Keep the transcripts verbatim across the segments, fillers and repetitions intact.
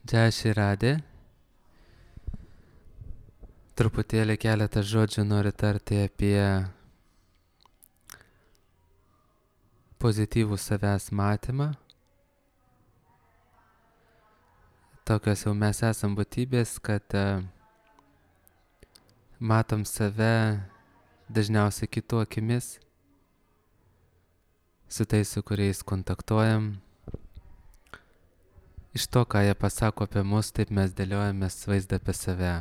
Džai Širadė. Truputėlį keletą žodžių noriu tarti apie pozityvų savęs matymą. Tokios jau mes esam būtybės, kad uh, matom save dažniausiai kitų akimis, su tais, su kuriais kontaktuojam. Iš to, ką jie pasako apie mus, taip mes dėliojamės vaizdą apie save.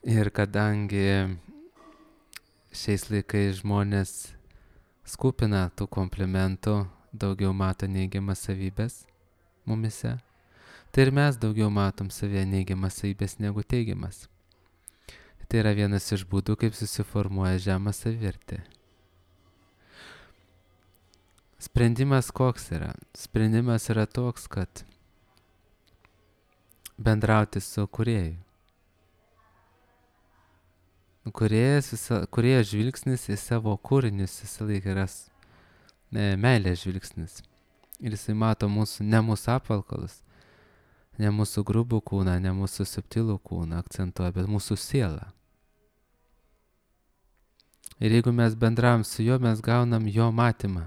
Ir kadangi šiais laikais žmonės skupina tų komplimentų, daugiau mato neigiamas savybės mumise, tai ir mes daugiau matom savyje neigiamas savybės negu teigiamas. Tai yra vienas iš būdų, kaip susiformuoja žema savivertė. Sprendimas koks yra? Sprendimas yra toks, kad bendrauti su kūrėju. Kūrėjas, visa, kūrėjo žvilgsnis į savo kūrinius visą laiką yra ne, meilės žvilgsnis. Ir jisai mato mūsų, ne mūsų apvalkalus, ne mūsų grubų kūną, ne mūsų subtilų kūną akcentuoja, bet mūsų sielą. Ir jeigu mes bendravom su juo, mes gaunam jo matymą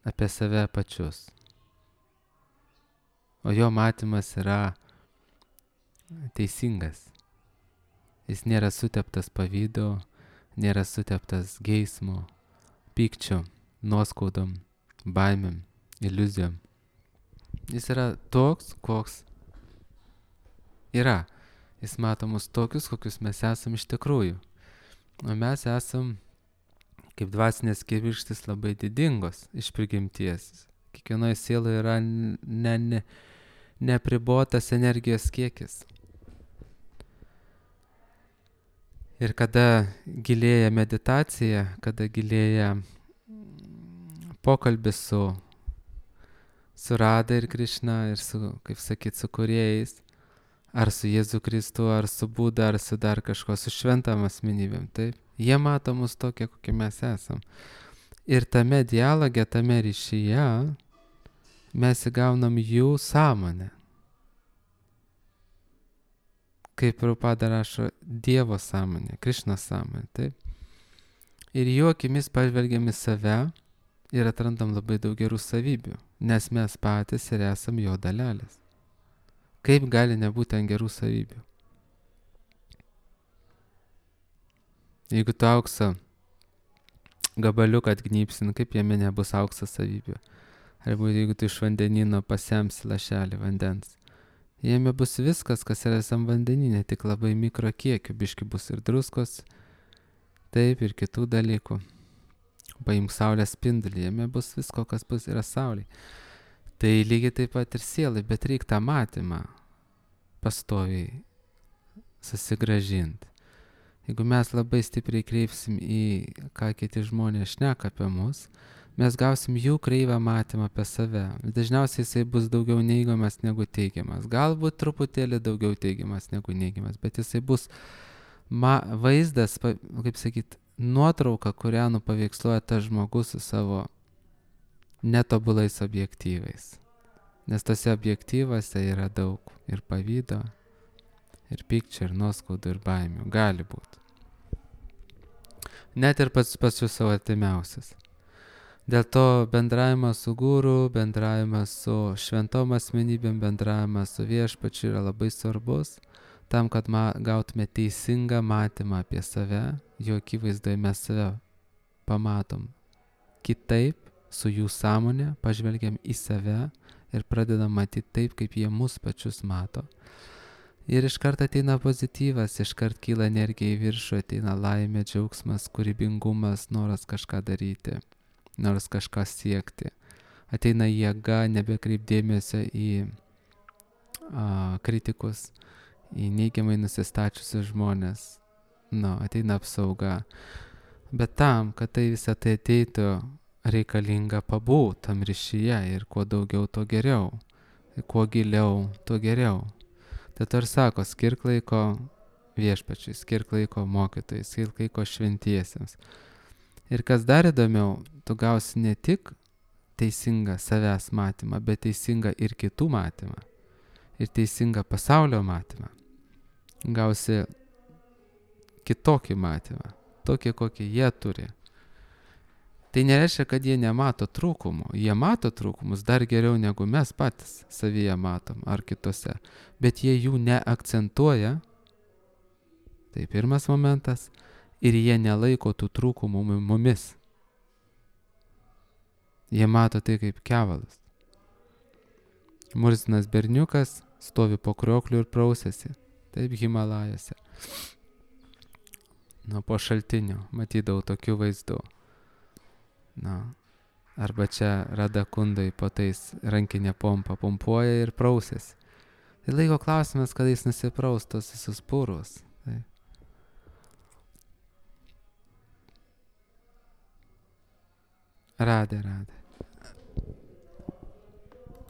apie save pačius. O jo matymas yra teisingas. Jis nėra suteptas pavydo, nėra suteptas geismo, pykčio, nuoskaudom, baimėm, iliuzijom. Jis yra toks, koks yra. Jis mato mus tokius, kokius mes esam iš tikrųjų. O mes esam kaip dvasinės kibirkštys labai didingos iš prigimties. Kiekvienoje sieloje yra ne, ne, neapribotas energijos kiekis. Ir kada gilėja meditacija, kada gilėja pokalbis su, su Rada ir Krišna ir su, kaip sakyt, su kūrėjais, ar su Jėzu Kristu, ar su Buda, ar su dar kažko, su šventam asmenybėm, taip? Jie mato mus tokie, kokie mes esam. Ir tame dialoge, tame ryšyje mes įgaunam jų sąmonę. Kaip Prabhupada rašo, Dievo sąmonė, Krišnos sąmonė, taip? Ir jų akimis pažvelgiam į save ir atrandam labai daug gerų savybių, nes mes patys ir esam jo dalelės. Kaip gali nebūti ant gerų savybių? Jeigu tu aukso gabaliuką atgnypsin, kaip jame nebus aukso savybių? Arba jeigu tu iš vandenino pasemsi lašelį vandens, jame bus viskas, kas yra visam vandeninė, tik labai mikro kiekių, biški bus ir druskos, taip ir kitų dalykų. Paimk saulės spindulį, jame bus visko, kas bus yra saulė. Tai lygiai taip pat ir sielai, bet reik tą matymą pastoviai susigrąžinti. Jeigu mes labai stipriai kreipsim į ką kiti žmonės šneka apie mus, mes gausim jų kreivą matymą apie save. Dažniausiai jisai bus daugiau neigiamas negu teigiamas. Galbūt truputėlį daugiau teigiamas negu neigiamas, bet jisai bus ma- vaizdas, kaip sakyt, nuotrauka, kurią nupaveiksluoja tas žmogus su savo netobulais objektyvais. Nes tose objektyvose yra daug ir pavydo, ir pykčio, ir nuoskaudų, ir baimių. Gali būti. Net ir pats pačius savo artimiausias. Dėl to bendravimas su guru, bendravimas su šventom asmenybėm, bendravimas su viešpačiu yra labai svarbus, tam, kad ma- gautume teisingą matymą apie save, jo akivaizdoje mes save pamatom kitaip, su jų sąmonė, pažvelgiam į save ir pradedam matyti taip, kaip jie mus pačius mato. Ir iškart ateina pozityvas, iškart kyla energija į viršų, ateina laimė, džiaugsmas, kūrybingumas, noras kažką daryti, noras kažką siekti. Ateina jėga, nebekreipdėmėsio į a, kritikus, į neigiamai nusistačiusius žmonės. Nu, ateina apsauga. Bet tam, kad tai visą tai ateitų, reikalinga pabūt tam ryšyje ir kuo daugiau, to geriau. Ir kuo giliau, to geriau. Tai ir sako, skirk laiko viešpačiui, skirk laiko mokytojai, skirk laiko šventiesiems. Ir kas dar įdomiau, tu gausi ne tik teisingą savęs matymą, bet teisingą ir kitų matymą. ir teisingą pasaulio matymą, gausi kitokį matymą, tokį, kokį jie turi. Tai nereiškia, kad jie nemato trūkumų. Jie mato trūkumus dar geriau negu mes patys savyje matom ar kitose, bet jie jų neakcentuoja. Tai pirmas momentas. Ir jie nelaiko tų trūkumų mumis. Jie mato tai kaip kevalus. Murzinas berniukas stovi po kriokliu ir prausėsi. Taip Himalajose. Nu, po šaltinio matydavau tokių vaizdų. Na, arba čia Rada Kundai po tais rankinė pompa pompuoja ir prausėsi. Tai laiko klausimas, kada jis nusipraus tos visus purus. Tai. Radė, radė.